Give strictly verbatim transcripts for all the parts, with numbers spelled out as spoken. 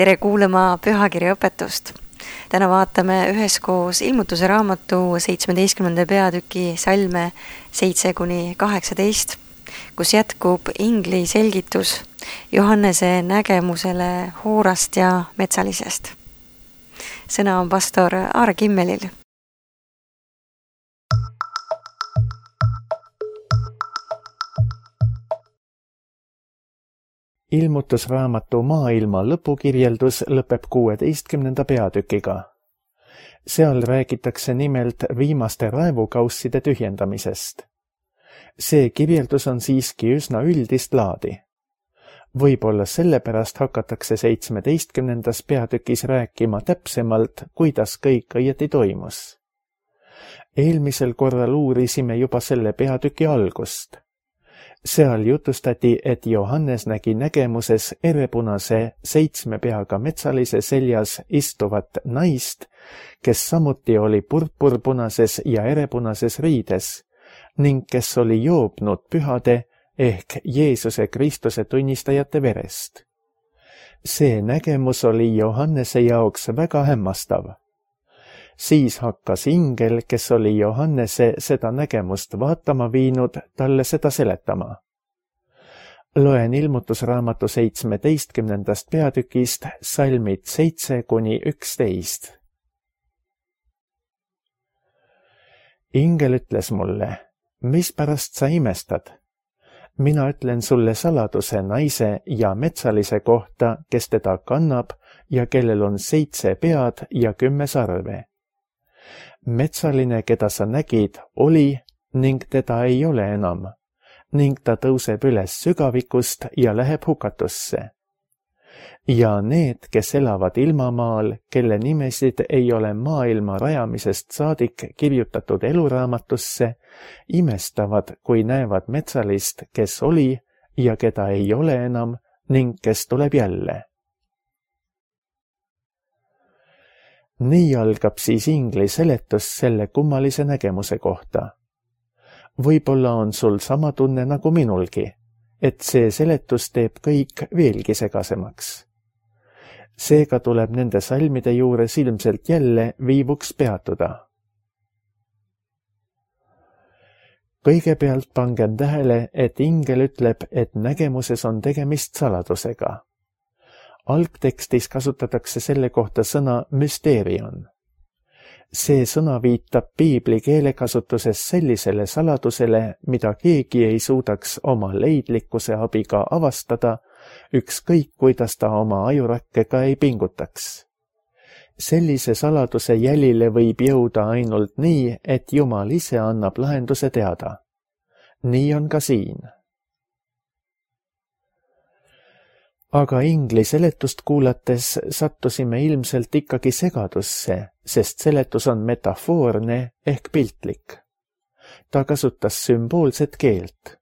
tere kuulama pühakirja õpetust. Täna vaatame üheskoos ilmutuse raamatu seitsmeteistkümnenda peatüki salme seitse kuni kaheksateist, kus jätkub ingli selgitus Johannese nägemusele hoorast ja metsalisest. Sõna on pastor Aare Kimmelil. Ilmutusraamatu maailma lõpukirjeldus lõpeb kuueteistkümnenda peatükiga. Seal räägitakse nimelt viimaste raevukausside tühjendamisest. See kirjeldus on siiski üsna üldist laadi. Võib-olla sellepärast hakatakse seitsmeteistkümnendas peatükis rääkima täpsemalt, kuidas kõik õieti toimus. Eelmisel korral uurisime juba selle peatüki algust. Seal jutustati, et Johannes nägi nägemuses erepunase seitsme peaga metsalise seljas istuvat naist, kes samuti oli purpurpunases ja erepunases riides ning kes oli joobnud pühade ehk Jeesuse Kristuse tunnistajate verest. See nägemus oli Johannese jaoks väga hämmastav. Siis hakkas ingel, kes oli Johannese seda nägemust vaatama viinud, talle seda seletama. Loen ilmutusraamatu seitsmeteistkümnendast peatükist salmid seitse kuni üksteist. Ingel ütles mulle, mis pärast sa imestad? Mina ütlen sulle saladuse naise ja metsalise kohta, kes teda kannab ja kellel on seitse pead ja kümme sarve. Metsaline, keda sa nägid, oli ning teda ei ole enam, ning ta tõuseb üles sügavikust ja läheb hukatusse. Ja need, kes elavad ilmamaal, kelle nimesid ei ole maailma rajamisest saadik kirjutatud eluraamatusse, imestavad, kui näevad metsalist, kes oli ja keda ei ole enam ning kes tuleb jälle. Nii algab siis ingli seletus selle kummalise nägemuse kohta. Võib-olla on sul sama tunne nagu minulgi, et see seletus teeb kõik veelgi segasemaks. Seega tuleb nende salmide juures ilmselt jälle viivuks peatuda. Kõigepealt pangem tähele, et ingel ütleb, et nägemuses on tegemist saladusega. Algtekstis kasutatakse selle kohta sõna müsteerion. See sõna viitab piibli keelekasutuses sellisele saladusele, mida keegi ei suudaks oma leidlikkuse abiga avastada, ükskõik kuidas ta oma ajurakkega ei pingutaks. Sellise saladuse jälile võib jõuda ainult nii, et Jumal ise annab lahenduse teada. Nii on ka siin. Aga ingli seletust kuulates sattusime ilmselt ikkagi segadusse, sest seletus on metafoorne ehk piltlik. Ta kasutas sümboolset keelt.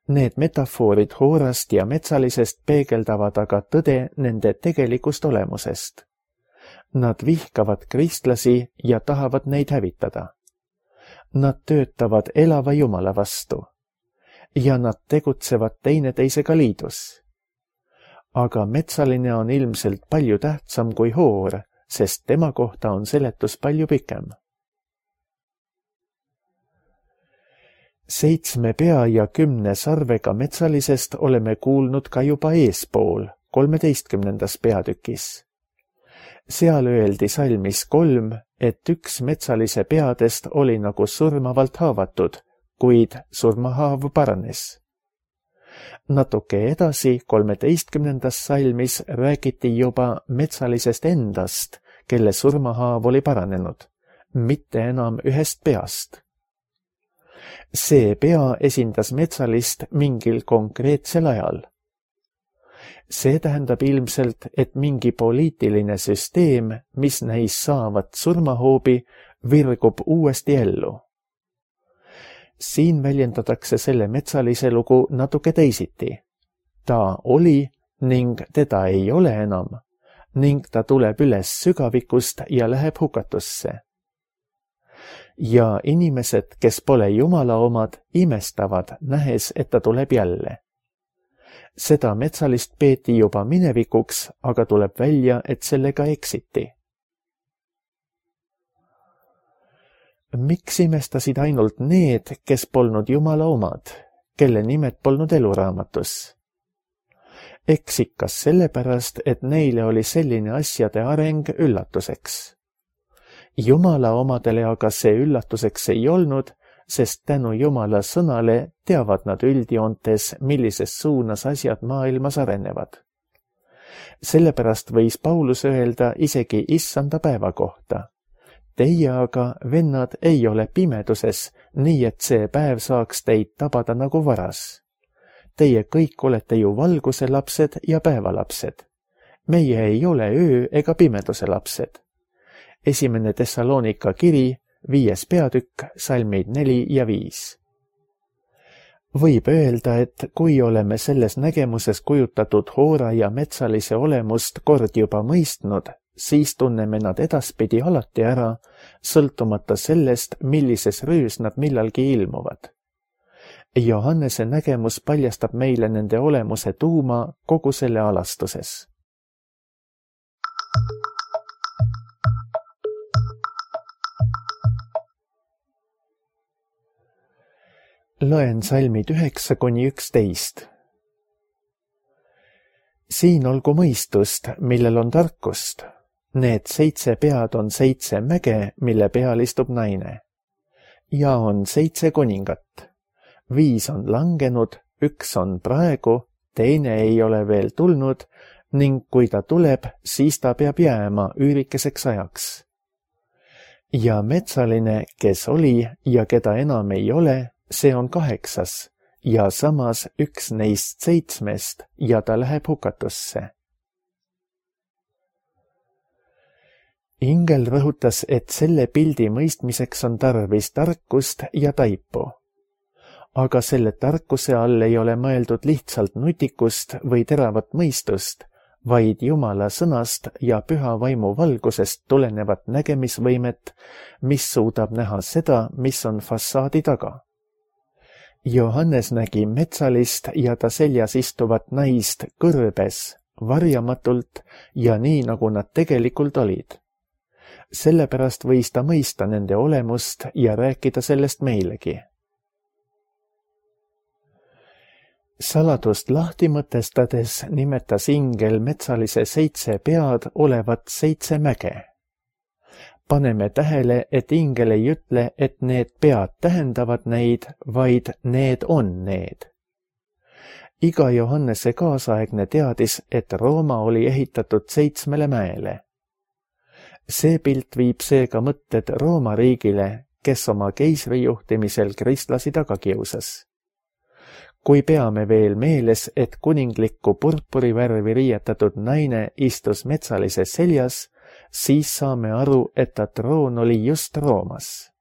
Need metafoorid hoorast ja metsalisest peegeldavad aga tõde nende tegelikust olemusest. Nad vihkavad kristlasi ja tahavad neid hävitada. Nad töötavad elava Jumala vastu. Ja nad tegutsevad teineteisega liidus. Aga metsaline on ilmselt palju tähtsam kui hoor, sest tema kohta on seletus palju pikem. Seitsme pea ja kümne sarvega metsalisest oleme kuulnud ka juba eespool, kolmeteistkümnendas peatükis. Seal öeldi salmis kolm, et üks metsalise peadest oli nagu surmavalt haavatud, kuid surmahaav paranes. Natuke edasi, kolmeteistkümnendas salmis räägiti juba metsalisest endast, kelle surmahaav oli paranenud, mitte enam ühest peast. See pea esindas metsalist mingil konkreetsel ajal. See tähendab ilmselt, et mingi poliitiline süsteem, mis näis saavat surmahoobi, virgub uuesti ellu. Siin väljendatakse selle metsalise lugu natuke teisiti. Ta oli ning teda ei ole enam, ning ta tuleb üles sügavikust ja läheb hukatusse. Ja inimesed, kes pole Jumala omad, imestavad, nähes, et ta tuleb jälle. seda metsalist peeti juba minevikuks, aga tuleb välja, et sellega eksiti. Miks imestasid ainult need, kes polnud Jumala omad, kelle nimed polnud eluraamatus? Eks ikka sellepärast, et neile oli selline asjade areng üllatuseks. Jumala omadele aga see üllatuseks ei olnud, sest tänu Jumala sõnale teavad nad üldjoontes, millises suunas asjad maailmas arenevad. Sellepärast võis Paulus öelda isegi issanda päeva kohta. Teie aga, vennad, ei ole pimeduses, nii et see päev saaks teid tabada nagu varas. Teie kõik olete ju valguse lapsed ja päevalapsed. Meie ei ole öö ega pimeduse lapsed. Esimene Thessalonika kiri, viies peatükk, salmid neli ja viis. Võib öelda, et kui oleme selles nägemuses kujutatud hoora ja metsalise olemust kord juba mõistnud, siis tunneme nad edaspidi alati ära, sõltumata sellest, millises röös nad millalgi ilmuvad. Johannese nägemus paljastab meile nende olemuse tuuma kogu selle alastuses. Loen salmid üheksa kuni üksteist. Siin olgu mõistust, millel on tarkust. Need seitse pead on seitse mäge, mille peal istub naine. Ja on seitse kuningat. Viis on langenud, üks on praegu, teine ei ole veel tulnud ning kui ta tuleb, siis ta peab jääma üürikeseks ajaks. Ja metsaline, kes oli ja keda enam ei ole, see on kaheksas ja samas üks neist seitsmest ja ta läheb hukatusse. Ingel rõhutas, et selle pildi mõistmiseks on tarvis tarkust ja taipu. Aga selle tarkuse all ei ole mõeldud lihtsalt nutikust või teravat mõistust, vaid Jumala sõnast ja püha vaimu valgusest tulenevat nägemisvõimet, mis suudab näha seda, mis on fassaadi taga. Johannes nägi metsalist ja ta seljas istuvat naist kõrbes, varjamatult ja nii, nagu nad tegelikult olid. Sellepärast võis ta mõista nende olemust ja rääkida sellest meilegi. Saladust lahti mõtestades nimetas ingel metsalise seitse pead olevat seitse mäge. Paneme tähele, et ingel ei ütle, et need pead tähendavad neid, vaid need on need. Iga Johannese kaasaegne teadis, et Rooma oli ehitatud seitsmele mäele. See pilt viib seega mõtted Rooma riigile, kes oma keisri juhtimisel kristlasi taga kiusas. Kui peame veel meeles, et kuninglikku purpurivärvi riietatud naine istus metsalise seljas, siis saame aru, et ta troon oli just Roomas.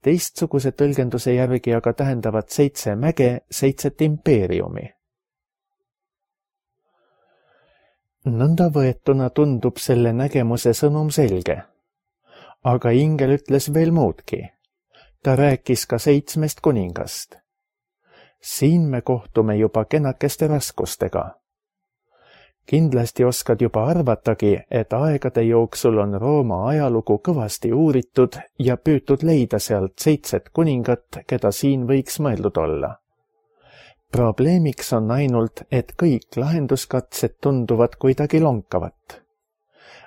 Teistsuguse tõlgenduse järgi aga tähendavad seitse mäge seitset impeeriumi. Nõnda võetuna tundub selle nägemuse sõnum selge. Aga ingel ütles veel muudki. Ta rääkis ka seitsmest kuningast. Siin me kohtume juba kenakeste raskustega. Kindlasti oskad juba arvatagi, et aegade jooksul on Rooma ajalugu kõvasti uuritud ja püütud leida sealt seitset kuningat, keda siin võiks mõeldud olla. Probleemiks on ainult, et kõik lahenduskatsed tunduvad kuidagi lonkavat.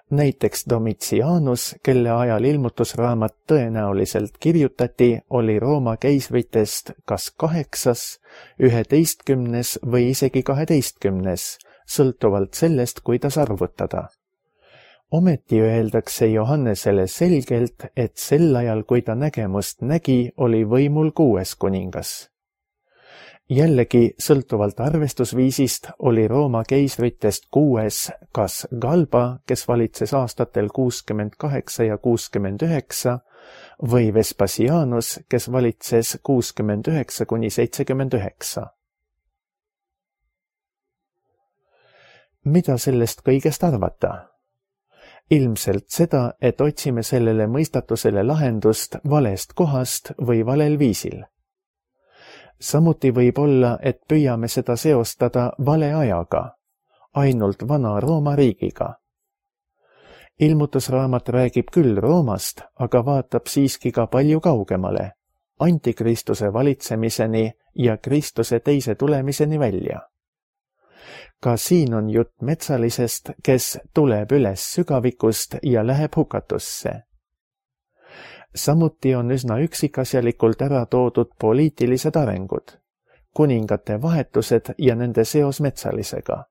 Näiteks Domitianus, kelle ajal ilmutusraamat tõenäoliselt kirjutati, oli Rooma keisritest kas kaheksas, üheteistkümnes või isegi kaheteistkümnes, sõltuvalt sellest, kuidas arvutada. Ometi öeldakse Johannesele selgelt, et sel ajal, kui ta nägemust nägi, oli võimul kuues kuningas. Jällegi, sõltuvalt arvestusviisist, oli Rooma keisritest kuues kas Galba, kes valitses aastatel kuuskümmend kaheksa ja kuuskümmend üheksa, või Vespasianus, kes valitses kuuskümmend üheksa kuni seitsekümmend üheksa. Mida sellest kõigest arvata? Ilmselt seda, et otsime sellele mõistatusele lahendust valest kohast või valel viisil. Samuti võib olla, et püüame seda seostada vale ajaga, ainult vana Rooma riigiga. Ilmutusraamat räägib küll Roomast, aga vaatab siiski ka palju kaugemale, antikristuse valitsemiseni ja Kristuse teise tulemiseni välja. Ka siin on jutt metsalisest, kes tuleb üles sügavikust ja läheb hukatusse. Samuti on üsna üksikasjalikult ära toodud poliitilised arengud, kuningate vahetused ja nende seos metsalisega.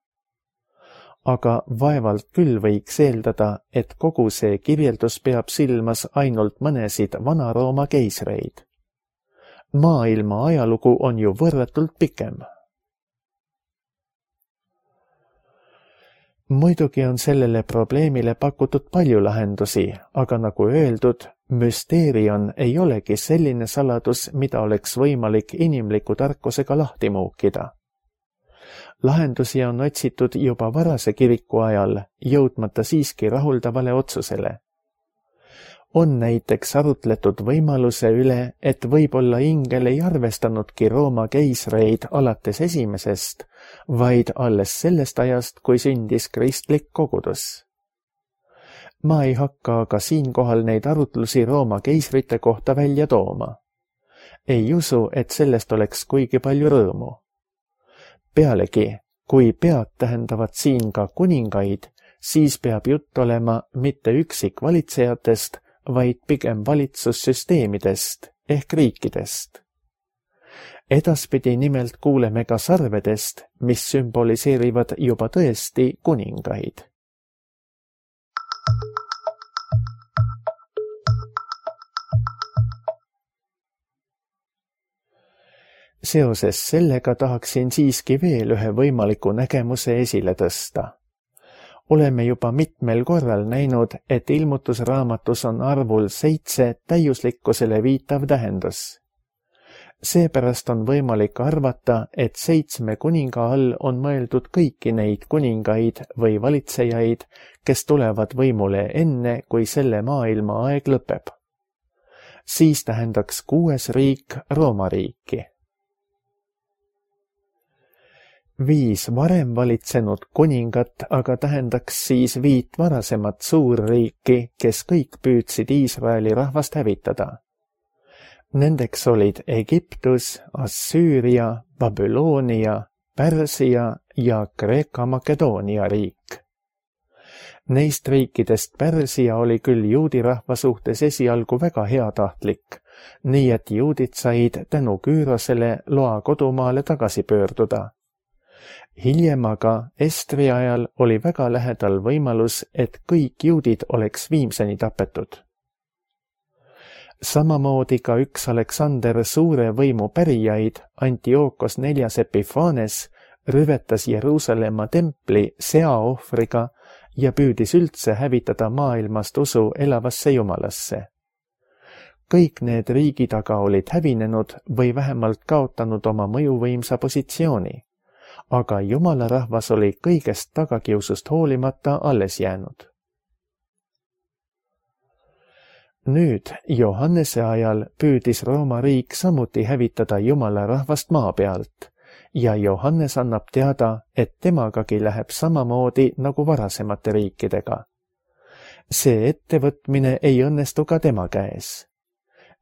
Aga vaevalt küll võiks eeldada, et kogu see kirjeldus peab silmas ainult mõnesid Vana-Rooma keisreid. Maailma ajalugu on ju võrratult pikem. Muidugi on sellele probleemile pakutud palju lahendusi, aga nagu öeldud, müsteerion ei olegi selline saladus, mida oleks võimalik inimliku tarkusega lahti muukida. Lahendusi on otsitud juba varase kiriku ajal, jõudmata siiski rahuldavale otsusele. On näiteks arutletud võimaluse üle, et võib-olla ingel ei arvestanudki Rooma keisreid alates esimesest, vaid alles sellest ajast, kui sündis kristlik kogudus. Ma ei hakka aga siinkohal neid arutlusi Rooma keisrite kohta välja tooma. Ei usu, et sellest oleks kuigi palju rõõmu. Pealegi, kui pead tähendavad siin ka kuningaid, siis peab jutt olema mitte üksikvalitsejatest, vaid pigem valitsussüsteemidest ehk riikidest. Edaspidi nimelt kuuleme ka sarvedest, mis sümboliseerivad juba tõesti kuningaid. Seoses sellega tahaksin siiski veel ühe võimaliku nägemuse esile tõsta. Oleme juba mitmel korral näinud, et ilmutusraamatus on arvul seitse täiuslikkusele viitav tähendus. Seepärast on võimalik arvata, et seitsme kuninga all on mõeldud kõiki neid kuningaid või valitsejaid, kes tulevad võimule enne, kui selle maailma aeg lõpeb. Siis tähendaks kuues riik Rooma riiki. Viis varem valitsenud kuningat aga tähendaks siis viit varasemat suurriiki, kes kõik püüdsid Iisraeli rahvast hävitada. Nendeks olid Egiptus, Assüüria, Babyloonia, Pärsia ja Kreeka-Makedoonia riik. Neist riikidest Pärsia oli küll juudi rahva suhtes esialgu väga heatahtlik, nii et juudid said tänu Küürosele loa kodumaale tagasi pöörduda. Hiljem aga Estri ajal oli väga lähedal võimalus, et kõik juudid oleks viimseni tapetud. Samamoodi ka üks Aleksander suure võimu pärijaid, Antiookos neljas Epiphanes, rüvetas Jeruusalemma templi seaohvriga ja püüdis üldse hävitada maailmast usu elavasse jumalasse. Kõik need riigid aga olid hävinenud või vähemalt kaotanud oma mõjuvõimsa positsiooni. Aga jumala rahvas oli kõigest tagakiusust hoolimata alles jäänud. Nüüd, Johannese ajal püüdis Rooma riik samuti hävitada jumala rahvast maa pealt ja Johannes annab teada, et temagagi läheb samamoodi nagu varasemate riikidega. See ettevõtmine ei õnnestu ka tema käes.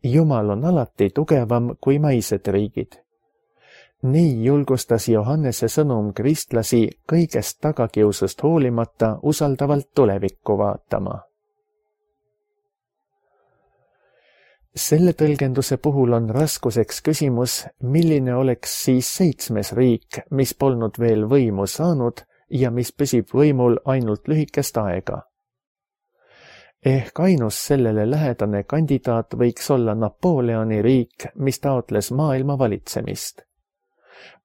Jumal on alati tugevam kui maised riigid. Nii julgustas Johannese sõnum kristlasi kõigest tagakiusust hoolimata usaldavalt tulevikku vaatama. Selle tõlgenduse puhul on raskuseks küsimus, milline oleks siis seitsmes riik, mis polnud veel võimu saanud ja mis püsib võimul ainult lühikest aega. Ehk ainus sellele lähedane kandidaat võiks olla Napoleoni riik, mis taotles maailma valitsemist.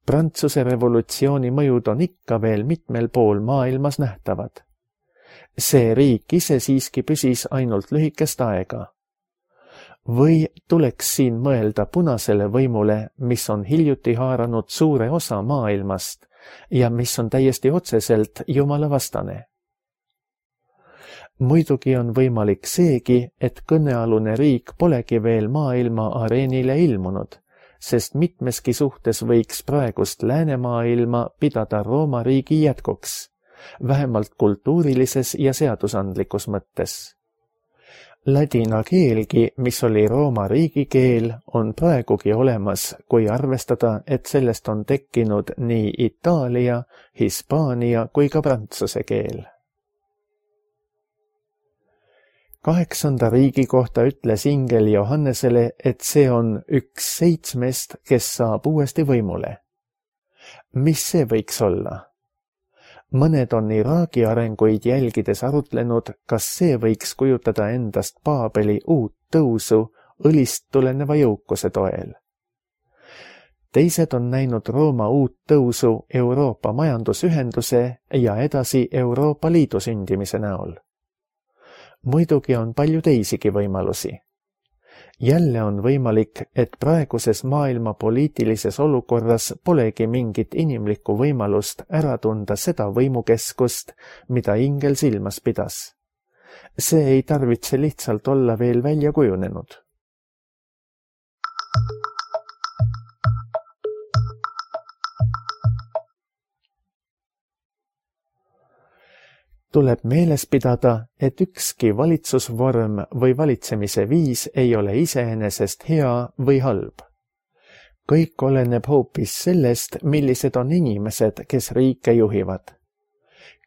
Prantsuse revolutsiooni mõjud on ikka veel mitmel pool maailmas nähtavad. See riik ise siiski püsis ainult lühikest aega. Või tuleks siin mõelda punasele võimule, mis on hiljuti haaranud suure osa maailmast ja mis on täiesti otseselt Jumala vastane. Muidugi on võimalik seegi, et kõnealune riik polegi veel maailma areenile ilmunud, sest mitmeski suhtes võiks praegust läänemaailma pidada Rooma riigi jätkuks, vähemalt kultuurilises ja seadusandlikus mõttes. Ladina keelgi, mis oli Rooma riigikeel, on praegugi olemas, kui arvestada, et sellest on tekkinud nii Itaalia, Hispaania kui ka prantsuse keel. Kaheksanda riigi kohta ütles ingel Johannesele, et see on üks seitsmest, kes saab uuesti võimule. Mis see võiks olla? Mõned on Iraagi arenguid jälgides arutlenud, kas see võiks kujutada endast Paabeli uut tõusu õlist tuleneva jõukuse toel. Teised on näinud Rooma uut tõusu Euroopa majandusühenduse ja edasi Euroopa Liidu sündimise näol. Muidugi on palju teisigi võimalusi. Jälle on võimalik, et praeguses maailma poliitilises olukorras polegi mingit inimlikku võimalust ära tunda seda võimukeskust, mida ingel silmas pidas. See ei tarvitse lihtsalt olla veel välja kujunenud. Tuleb meeles pidada, et ükski valitsusvorm või valitsemise viis ei ole iseenesest hea või halb. Kõik oleneb hoopis sellest, millised on inimesed, kes riike juhivad.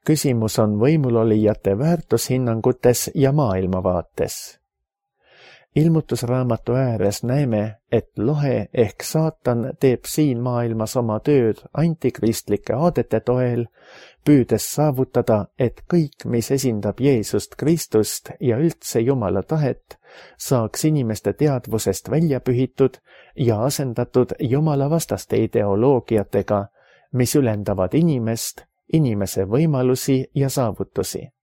Küsimus on võimulolijate väärtushinnangutes ja maailmavaates. Ilmutusraamatu ääres näeme, et lohe ehk saatan teeb siin maailmas oma tööd antikristlike aadete toel, püüdes saavutada, et kõik, mis esindab Jeesust Kristust ja üldse Jumala tahet, saaks inimeste teadvusest välja pühitud ja asendatud Jumala vastaste ideoloogiatega, mis ülendavad inimest, inimese võimalusi ja saavutusi.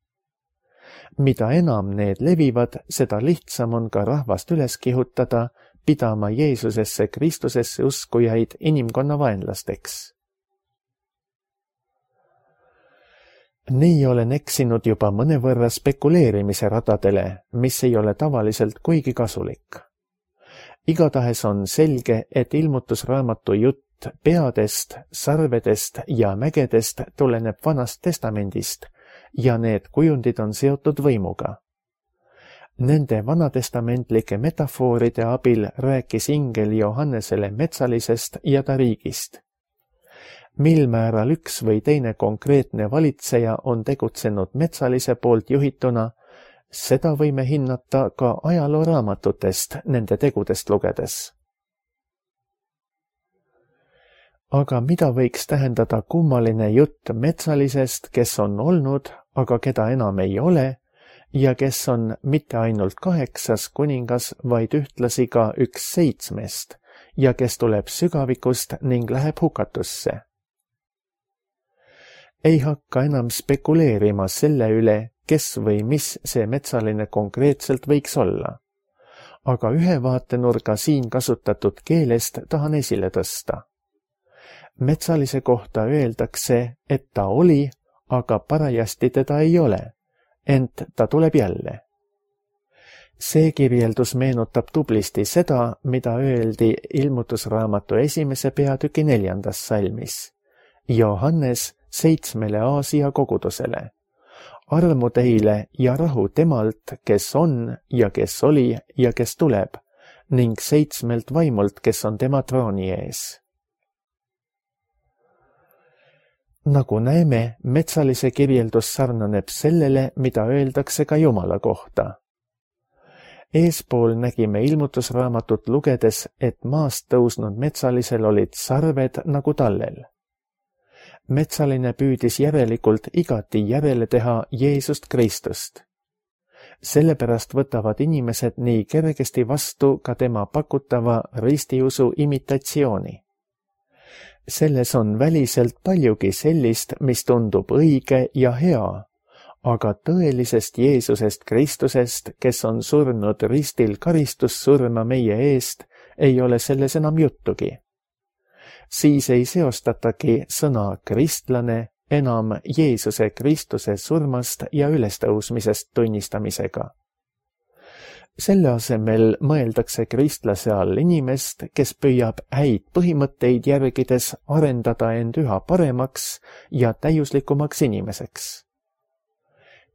Mida enam need levivad, seda lihtsam on ka rahvast üles kihutada, pidama Jeesusesse Kristusesse uskujaid inimkonna vaenlasteks. Nii olen eksinud juba mõnevõrra spekuleerimise radadele, mis ei ole tavaliselt kuigi kasulik. Igatahes on selge, et ilmutusraamatu jutt peadest, sarvedest ja mägedest tuleneb Vanast Testamendist ja need kujundid on seotud võimuga. Nende vanatestamentlike metafooride abil rääkis ingel Johannesele metsalisest ja ta riigist. Mil määral üks või teine konkreetne valitseja on tegutsenud metsalise poolt juhituna, seda võime hinnata ka ajalooraamatutest nende tegudest lugedes. Aga mida võiks tähendada kummaline jutt metsalisest, kes on olnud, aga keda enam ei ole, ja kes on mitte ainult kaheksas kuningas, vaid ühtlasi ka üks seitsmest, ja kes tuleb sügavikust ning läheb hukatusse? Ei hakka enam spekuleerima selle üle, kes või mis see metsaline konkreetselt võiks olla. Aga ühe vaatenurga siin kasutatud keelest tahan esile tõsta. Metsalise kohta öeldakse, et ta oli, aga parajasti teda ei ole, ent ta tuleb jälle. See kirjeldus meenutab tublisti seda, mida öeldi ilmutusraamatu esimese peatüki neljandas salmis. Johannes seitsmele Aasia kogudusele. Armu teile ja rahu temalt, kes on ja kes oli ja kes tuleb, ning seitsmelt vaimult, kes on tema trooni ees. Nagu näeme, metsalise kirjeldus sarnaneb sellele, mida öeldakse ka Jumala kohta. Eespool nägime ilmutusraamatut lugedes, et maast tõusnud metsalisel olid sarved nagu tallel. Metsaline püüdis järelikult igati järele teha Jeesust Kristust. Sellepärast võtavad inimesed nii kergesti vastu ka tema pakutava ristiusu imitatsiooni. Selles on väliselt paljugi sellist, mis tundub õige ja hea, aga tõelisest Jeesusest Kristusest, kes on surnud ristil karistussurma meie eest, ei ole selles enam juttugi. Siis ei seostatagi sõna kristlane enam Jeesuse Kristuse surmast ja ülestõusmisest tunnistamisega. Selle asemel mõeldakse kristlase all inimest, kes püüab häid põhimõtteid järgides arendada end üha paremaks ja täiuslikumaks inimeseks.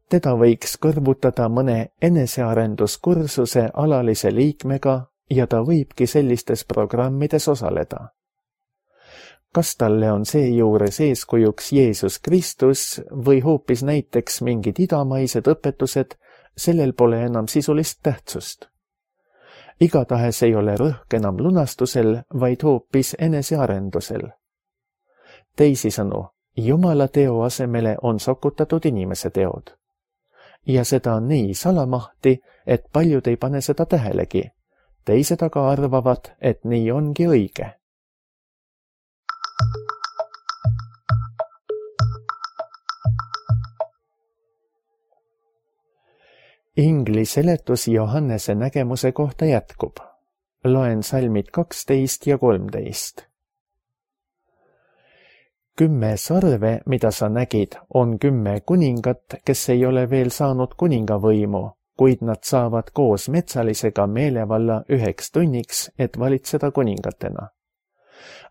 Teda võiks kõrvutada mõne enesearenduskursuse alalise liikmega ja ta võibki sellistes programmides osaleda. Kas talle on seejuures eeskujuks Jeesus Kristus või hoopis näiteks mingid idamaised õpetused, sellel pole enam sisulist tähtsust. Igatahes ei ole rõhk enam lunastusel, vaid hoopis enesearendusel. Teisisõnu, Jumala teo asemele on sokutatud inimese teod. Ja seda on nii salamahti, et paljud ei pane seda tähelegi. Teised aga arvavad, et nii ongi õige. Ingli seletus Johannese nägemuse kohta jätkub. Loen salmid kaksteist ja kolmteist. Kümme sarve, mida sa nägid, on kümme kuningat, kes ei ole veel saanud kuningavõimu, kuid nad saavad koos metsalisega meelevalla üheks tunniks, et valitseda kuningatena.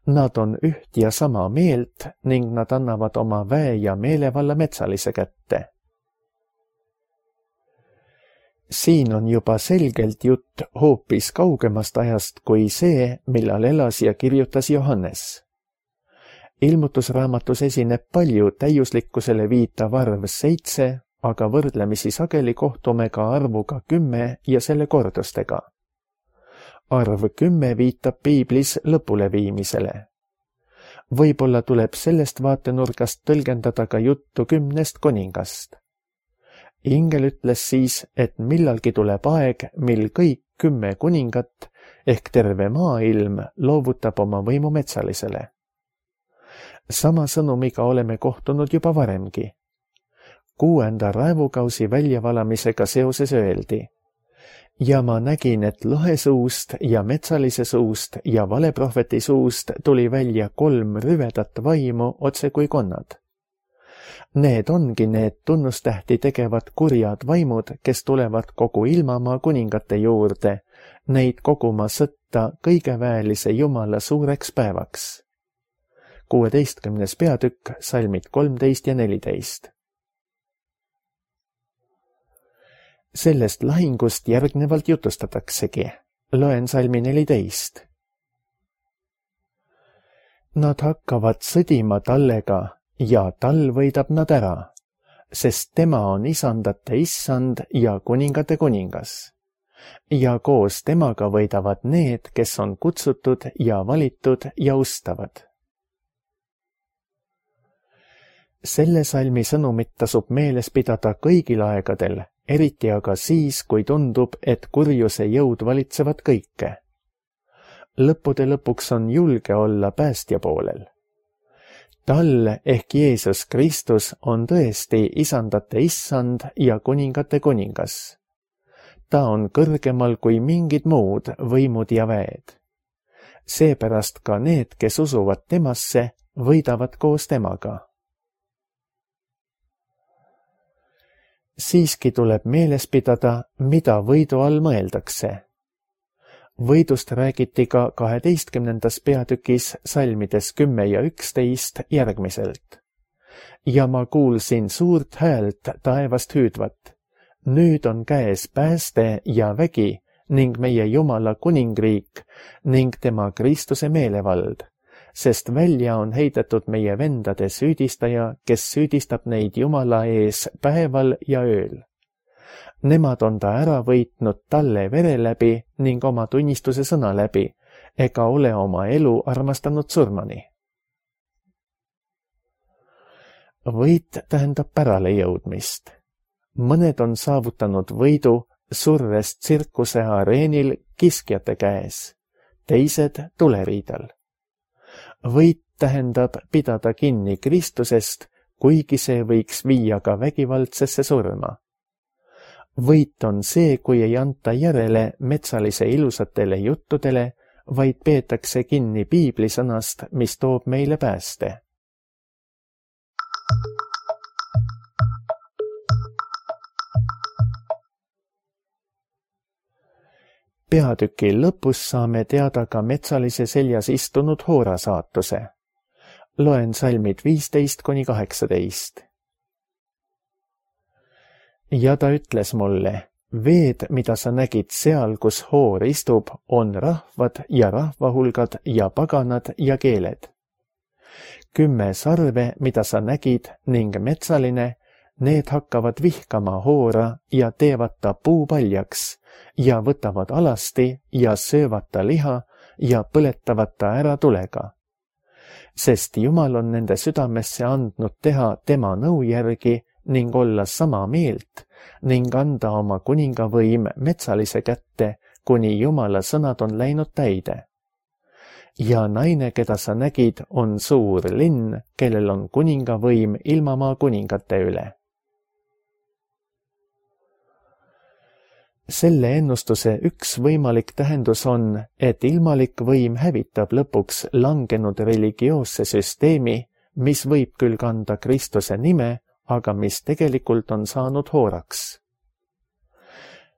Nad on üht ja sama meelt ning nad annavad oma väe ja meelevalla metsalise kätte. Siin on juba selgelt jutt hoopis kaugemast ajast kui see, millal elas ja kirjutas Johannes. Ilmutusraamatus esineb palju täiuslikkusele viitav arv seitse, aga võrdlemisi sageli kohtume ka arvuga kümme ja selle kordustega. Arv kümme viitab piiblis lõpuleviimisele. Võib-olla tuleb sellest vaatenurgast tõlgendada ka juttu kümnest kuningast. Ingel ütles siis, et millalgi tuleb aeg, mil kõik kümme kuningat ehk terve maailm loovutab oma võimu metsalisele. Sama sõnumiga oleme kohtunud juba varemgi. Kuuenda raevukausi väljavalamisega seoses öeldi: ja ma nägin, et lohe suust ja metsalise suust ja valeprohveti suust tuli välja kolm rüvedat vaimu otse kui konnad. Need ongi need tunnustähti tegevad kurjad vaimud, kes tulevad kogu ilmamaa kuningate juurde, neid koguma sõtta kõigeväelise Jumala suureks päevaks. kuueteistkümnes peatükk, salmid kolmteist ja neliteist. Sellest lahingust järgnevalt jutustataksegi. Loen salmi neliteist. Nad hakkavad sõdima tallega ja tal võidab nad ära, sest tema on isandate issand ja kuningate kuningas. Ja koos temaga võidavad need, kes on kutsutud ja valitud ja ustavad. Selle salmi sõnumit tasub meeles pidada kõigil aegadel, eriti aga siis, kui tundub, et kurjuse jõud valitsevad kõike. Lõppude lõpuks on julge olla päästja poolel. Tal ehk Jeesus Kristus on tõesti isandate issand ja kuningate kuningas. Ta on kõrgemal kui mingid muud võimud ja väed. Seepärast ka need, kes usuvad temasse, võidavad koos temaga. Siiski tuleb meeles pidada, mida võidu all mõeldakse. Võidust räägiti ka kaheteistkümnendas peatükis salmides kümme ja üksteist järgmiselt. Ja ma kuulsin suurt häält taevast hüüdvat. Nüüd on käes pääste ja vägi ning meie Jumala kuningriik ning tema Kristuse meelevald, sest välja on heidetud meie vendade süüdistaja, kes süüdistab neid Jumala ees päeval ja ööl. Nemad on ta ära võitnud talle vere läbi ning oma tunnistuse sõna läbi, ega ole oma elu armastanud surmani. Võit tähendab pärale jõudmist. Mõned on saavutanud võidu surres tsirkuse areenil kiskjate käes, teised tuleriidal. Võit tähendab pidada kinni Kristusest, kuigi see võiks viia ka vägivaldsesse surma. Võit on see, kui ei anta järele metsalise ilusatele juttudele, vaid peetakse kinni piiblisõnast, mis toob meile pääste. Peatüki lõpus saame teada ka metsalise seljas istunud Hoora saatuse. Loen salmid viisteist kuni kaheksateist. Ja ta ütles mulle, veed, mida sa nägid seal, kus Hoor istub, on rahvad ja rahvahulgad ja paganad ja keeled. Kümme sarve, mida sa nägid, ning metsaline, need hakkavad vihkama Hoora ja teevad ta puupaljaks ja võtavad alasti ja söövad ta liha ja põletavad ta ära tulega. Sest Jumal on nende südamesse andnud teha tema nõu järgi ning olla sama meelt ning anda oma kuningavõim metsalise kätte, kuni Jumala sõnad on läinud täide. Ja naine, keda sa nägid, on suur linn, kellel on kuningavõim ilmamaa kuningate üle. Selle ennustuse üks võimalik tähendus on, et ilmalik võim hävitab lõpuks langenud religioosse süsteemi, mis võib küll kanda Kristuse nime, aga mis tegelikult on saanud Hooraks.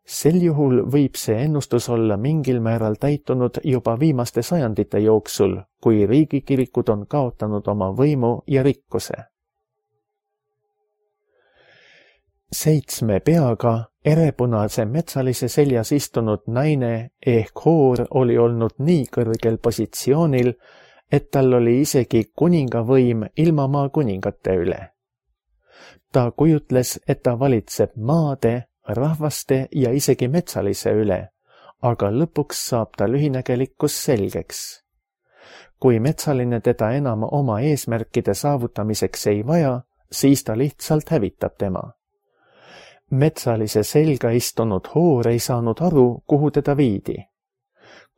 Sel juhul võib see ennustus olla mingil määral täitunud juba viimaste sajandite jooksul, kui riigikirikud on kaotanud oma võimu ja rikkuse. Seitsme peaga erepunase metsalise seljas istunud naine ehk Hoor oli olnud nii kõrgel positsioonil, et tal oli isegi kuningavõim ilmamaa kuningate üle. Ta kujutles, et ta valitseb maade, rahvaste ja isegi metsalise üle, aga lõpuks saab ta lühinägelikkus selgeks. Kui metsaline teda enam oma eesmärkide saavutamiseks ei vaja, siis ta lihtsalt hävitab tema. Metsalise selga istunud Hoor ei saanud aru, kuhu teda viidi.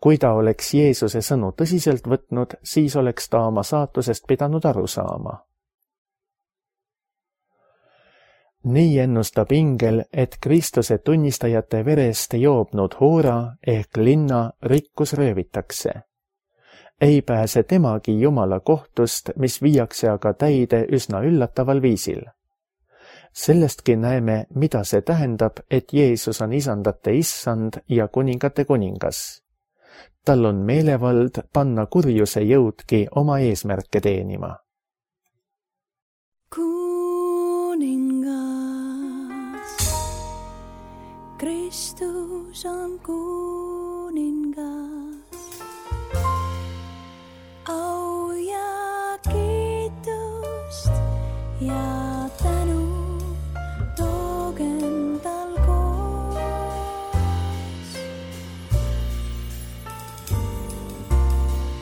Kui ta oleks Jeesuse sõnu tõsiselt võtnud, siis oleks ta oma saatusest pidanud aru saama. Nii ennustab ingel, et Kristuse tunnistajate verest joobnud Hoora ehk linna rikkus röövitakse. Ei pääse temagi Jumala kohtust, mis viiakse aga täide üsna üllataval viisil. Sellestki näeme, mida see tähendab, et Jeesus on isandate issand ja kuningate kuningas. Tal on meelevald panna kurjuse jõudki oma eesmärke teenima. Kristus on kuningas, au ja kiitust ja tänu toogem tal koos.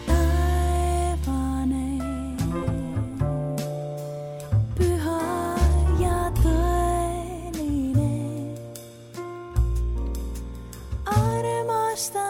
Taevane, püha ja tõeline, armastan